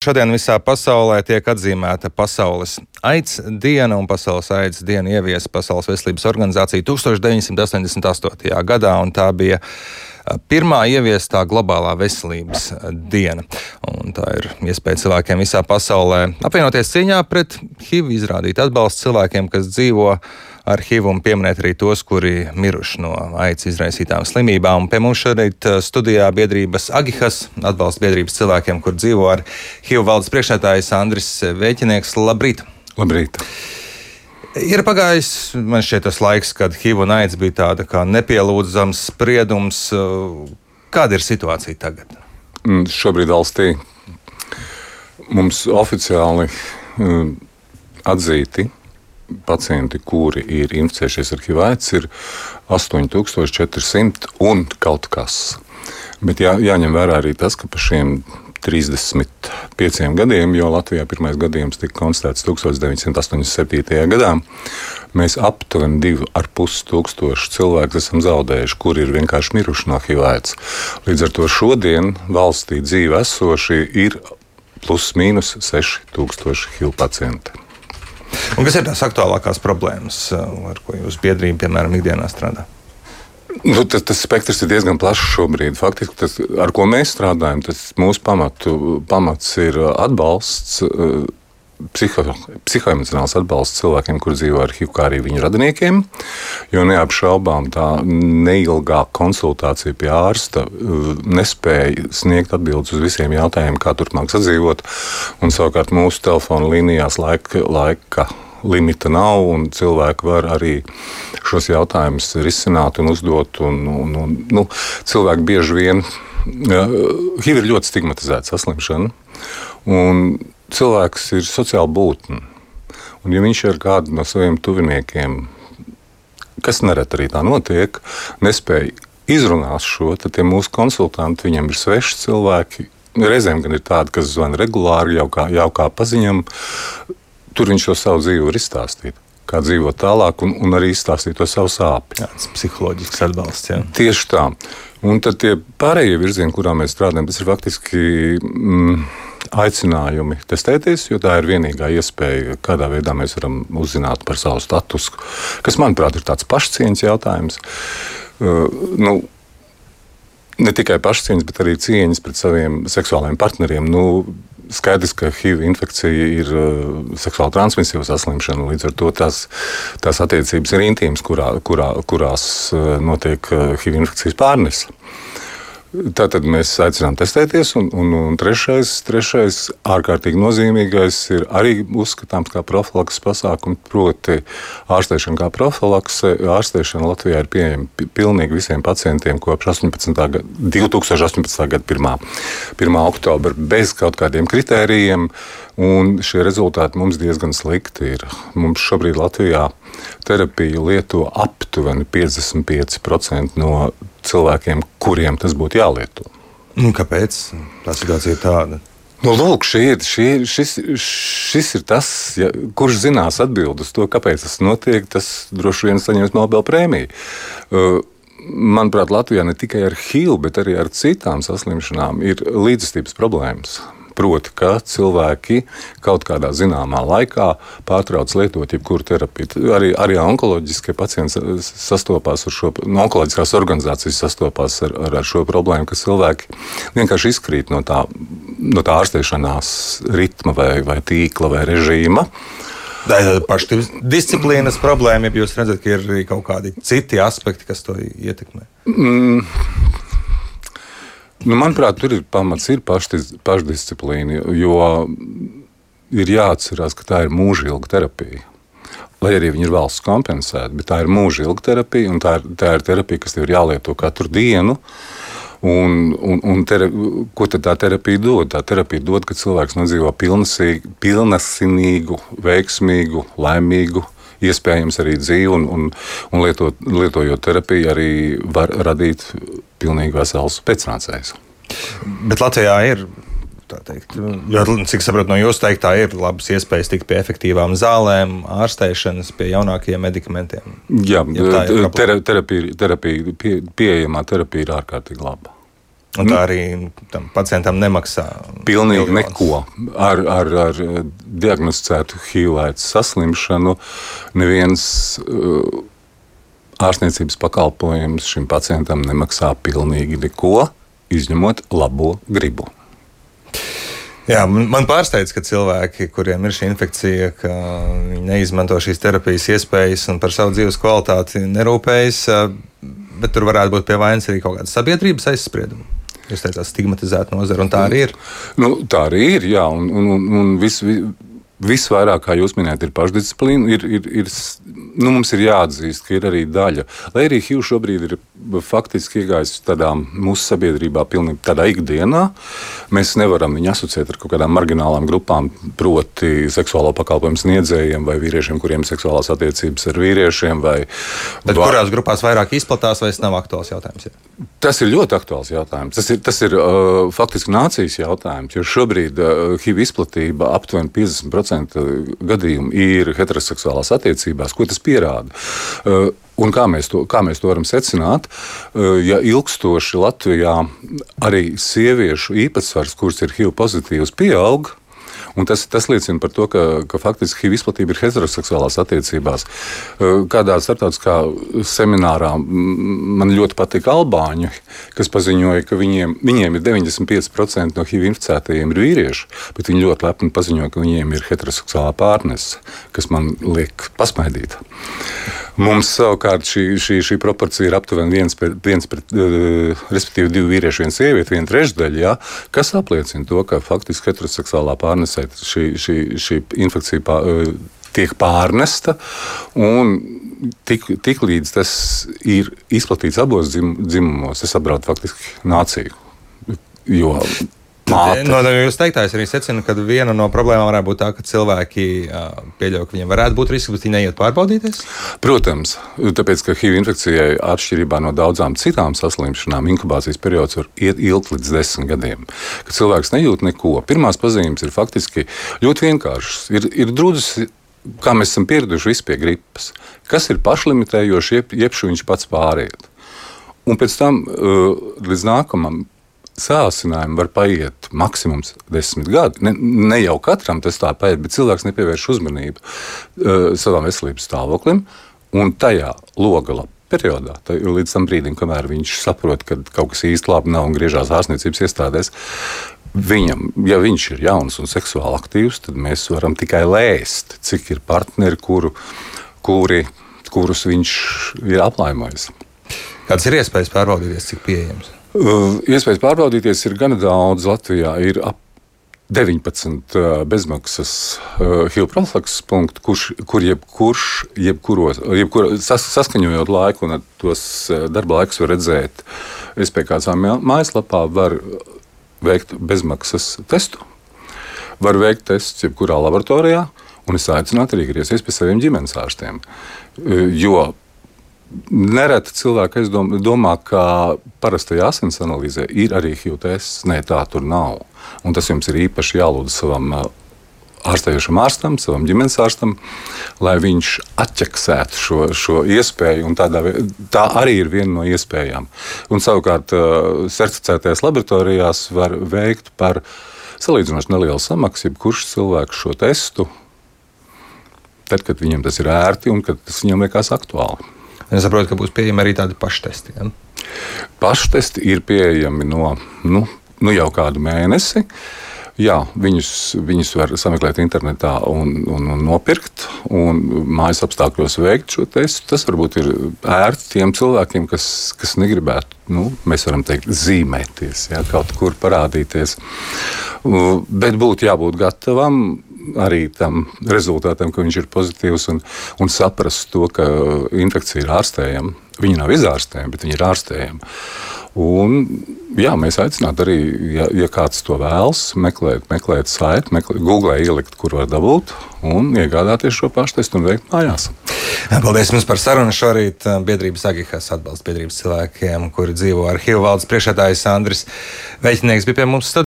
Šodien visā pasaulē tiek atzīmēta Pasaules AIDS diena, un Pasaules AIDS dienu ieviesa Pasaules veselības organizācija 1988. gadā, un tā bija pirmā ieviestā globālā veselības diena. Un tā ir iespēja cilvēkiem visā pasaulē apvienoties cīņā pret HIV, izrādīt atbalstu cilvēkiem, kas dzīvo ar HIV, un pieminēt arī tos, kuri miruši no AIDS izraisītām slimībām. Un pie mums šorīt studijā biedrības Agihas, atbalsta biedrības cilvēkiem, kur dzīvo ar HIV, valdes priekšsēdētājs Andris Vēķinieks. Labrīt! Labrīt! Ir pagājis, man šķiet, tas laiks, kad HIV un AIDS bija tāda kā nepielūdzams spriedums. Kāda ir situācija tagad? Šobrīd valstī mums oficiāli atzīti pacienti, kuri ir inficējušies ar HIV/AIDS, ir 8400 un kaut kas. Bet jāņem vērā arī tas, ka pa šiem 35 gadiem, jo Latvijā pirmais gadījums tika konstatēts 1987. gadā, mēs aptuveni 2500 cilvēku esam zaudējuši, kuri ir vienkārši miruši no HIV/AIDS. Līdz ar to šodien valstī dzīve esoši ir plus mīnus 6000 HIV pacienti. Un kas ir tās aktuālākās problēmas, ar ko jūs biedrība, piemēram, ikdienā strādā? Tas spektrs ir diezgan plašs šobrīd. Faktiski, tas, ar ko mēs strādājam, tas mūsu pamats ir atbalsts, psihoemocionāls atbalsts cilvēkiem, kur dzīvo ar HIV, kā arī viņu radiniekiem. Jo neapšaubām tā neilgā konsultācija pie ārsta nespēja sniegt atbildes uz visiem jautājumiem, kā turpmāk sadzīvot. Un savukārt mūsu telefona līnijās laika limita nav, un cilvēki var arī šos jautājumus risināt un uzdot. Cilvēki bieži vien HIV ir ļoti stigmatizēta saslimšana, un cilvēks ir sociāla būtne. Un ja viņš ar kādu no saviem tuviniekiem, kas nereti arī tā notiek, nespēja izrunāt šo, tad tie mūsu konsultanti, viņam ir sveši cilvēki. Reizēm gan ir tādi, kas zvana regulāri, jau kā paziņam. Tur viņš to savu dzīvi var izstāstīt, kā dzīvot tālāk, un arī izstāstīt to savu sāpi. Jā, tas psiholoģisks atbalsts, jā. Tieši tā. Un tad tie pārējie virzieni, kurā mēs strādājam, tas ir faktiski aicinājumi testēties, jo tā ir vienīgā iespēja, kādā veidā mēs varam uzzināt par savu statusu, kas, manuprāt, ir tāds pašcieņas jautājums. Ne tikai pašcieņas, bet arī cieņas pret saviem seksuālajiem partneriem. Skaidrs, ka HIV infekcija ir seksuāli transmisīva saslimšana, līdz ar to tās attiecības ir intīmas, kurās notiek HIV infekcijas pārnese. Tātad mēs aicinām testēties, un trešais ārkārtīgi nozīmīgais ir arī uzskatāms kā profilakses pasākums, proti ārstēšana kā profilakse. Ārstēšana Latvijā ir pieejama pilnīgi visiem pacientiem kopš 2018. gada 1. oktobra bez kaut kādiem kritērijiem, un šie rezultāti mums diezgan slikti ir. Mums šobrīd Latvijā terapiju lieto aptuveni 55% no cilvēkiem, kuriem tas būtu jālieto. Kāpēc tā situācija ir tāda? Lūk, šis ir tas, kurš zinās atbildi uz to, kāpēc tas notiek, tas droši vien saņems Nobela prēmiju. Manuprāt, Latvijā ne tikai ar HIV, bet arī ar citām saslimšanām ir līdzjūtības problēmas. Proti, ka cilvēki kaut kādā zināmā laikā pārtrauc lietot jebkuru terapiju. Arī onkoloģiskie pacienti sastopās ar šo, onkoloģiskās organizācijas sastopās ar šo problēmu, ka cilvēki vienkārši izkrīt no tā ārstēšanās ritma vai tīkla vai režīma. Pašdisciplīnas problēma, ja jūs redzat, ka ir arī kaut kādi citi aspekti, kas to ietekmē? Manuprāt, tur ir pamats, ir pašdisciplīna, jo ir jāatcerās, ka tā ir mūžilga terapija. Lai arī viņi ir valsts kompensēta, bet tā ir mūžilga terapija, un tā ir terapija, kas tev ir jālieto katru dienu. Ko tad tā terapija dod? Tā terapija dod, ka cilvēks nodzīvo pilnasinīgu, veiksmīgu, laimīgu, iespējams arī dzīvi, un lietojot terapiju arī var radīt pilnīgi vesels pēcnācējs. Bet Latvijā ir, tā teikt, cik saprotu no jūsu teiktā, ir labas iespējas tikt pie efektīvām zālēm, ārstēšanas, pie jaunākajiem medikamentiem. Jā, pieejamā terapija ir ārkārtīgi laba. Un tā arī tam pacientam nemaksā. Pilnīgi neko. Ar diagnosticētu HIV/AIDS saslimšanu neviens ārstniecības pakalpojums šim pacientam nemaksā pilnīgi neko, izņemot labo gribu. Jā, man pārsteidz, ka cilvēki, kuriem ir šī infekcija, ka viņi neizmanto šīs terapijas iespējas un par savu dzīves kvalitāti nerūpējas, bet tur varētu būt pie vainas arī kaut kāda sabiedrības aizsprieduma. Jūs teicāt, stigmatizēta nozara, un tā arī ir. Tā arī ir, jā, un visvairāk, kā jūs minējat, ir pašdisciplīna. Mums ir jāatzīst, ka ir arī daļa. Lai arī HIV šobrīd ir faktiski iegājis tādā mūsu sabiedrībā pilnīgi tādā ikdienā, mēs nevaram viņu asociēt ar kaut kādām marginālām grupām, proti seksuālo pakalpojumu sniedzējiem vai vīriešiem, kuriem ir seksuālās attiecības ar vīriešiem. Bet kurās grupās vairāk izplatās, vai tas nav aktuāls jautājums? Ja? Tas ir ļoti aktuāls jautājums. Tas ir faktiski nācijas jautājums, jo šobrīd HIV izplatība aptuveni 50% gadījumu ir heteroseksuālās attiecībās. Ko tas pierāda? Un kā mēs to varam secināt? Ja ilgstoši Latvijā arī sieviešu īpatsvars, kuras ir HIV pozitīvs, pieaug, un tas liecina par to, ka faktiski HIV izplatība ir heteroseksuālās attiecībās. Kādā starptautiskā seminārā man ļoti patika albāņi, kas paziņoja, ka viņiem ir 95% no HIV inficētajiem ir vīrieši, bet viņi ļoti lepni paziņoja, ka viņiem ir heteroseksuālā pārnese, kas man liek pasmaidīt. Mums savukārt šī proporcija ir aptuveni respektīvi 2 vīrieši, 1 sieviete, 1/3, ja, kas apliecina to, ka faktiski heteroseksuālā pārnesē šī infekcija tiek pārnesta, un tik līdz tas ir izplatīts abos dzimumos, tas apdraud faktiski nāciju. Jo no jūs teiktais arī secina, ka viena no problēmām varētu būt tā, ka cilvēki pieļauj, ka viņiem varētu būt risks, bet viņi neiet pārbaudīties? Protams, tāpēc, ka HIV infekcijai atšķirībā no daudzām citām saslimšanām inkubācijas periods var iet ilgt līdz 10 gadiem. Kad cilvēks nejūt neko, pirmās pazīmes ir faktiski ļoti vienkāršas. Ir drudzis, kā mēs esam pieraduši visi pie gripas, kas ir pašlimitējoši, jeb viņš pats pāriet. Un pēc tam līdz nākamam sācinājumi var paiet maksimums 10 gadi. Ne jau katram tas tā paiet, bet cilvēks nepievērš uzmanību savam veselības stāvoklim, un tajā logala periodā, līdz tam brīdim, kamēr viņš saprot, ka kaut kas īsti labi nav un griežās ārstniecības iestādēs, viņam, ja viņš ir jauns un seksuāli aktīvs, tad mēs varam tikai lēst, cik ir partneri, kurus viņš ir aplaimojis. Kādas ir iespējas pārbaudīties, cik pieejams? Iespējas pārbaudīties ir gana daudz. Latvijā ir ap 19 bezmaksas HIV profilakses punktu, saskaņojot laiku un tos darba laikus var redzēt SPKC mājaslapā, var veikt bezmaksas testu, var veikt testus jebkurā laboratorijā, un es aicinātu arī griezties pie saviem ģimenes ārstiem, jo nereti cilvēki domā, ka parastajā asins analīzē ir arī HIV tests. Nē, tā tur nav. Un tas jums ir īpaši jālūdz savam ārstējošam ārstam, savam ģimenes ārstam, lai viņš atķeksētu šo iespēju, un tā arī ir viena no iespējām. Un savukārt certificētajās laboratorijās var veikt par salīdzinoši nelielu samaksu, jebkurš cilvēks šo testu, tad, kad viņam tas ir ērti un kad tas viņam liekas aktuāli. Es saprotu, ka būs pieejami arī tādi paštesti. Ja? Paštesti ir pieejami no jau kādu mēnesi. Jā, viņus var sameklēt internetā un nopirkt, un mājas apstākļos veikt šo testu. Tas varbūt ir ērti tiem cilvēkiem, kas negribētu, mēs varam teikt, zīmēties, ja, kaut kur parādīties. Bet būtu jābūt gatavam arī tam rezultātam, ka viņš ir pozitīvs, un saprast to, ka infekcija ir ārstējama. Viņa nav izārstējama, bet viņa ir ārstējama. Un, jā, mēs aicinātu arī, ja kāds to vēlas, meklēt saiti, Googlē ielikt, kur var dabūt, un iegādāties šo paštestu un veikt mājās. Paldies jums par sarunu šorīt. Biedrības Agihas atbalsta biedrības cilvēkiem, kuri dzīvo ar HIV, valdes priekšsēdētājs Andris Veļķinieks bija pie mums studijā.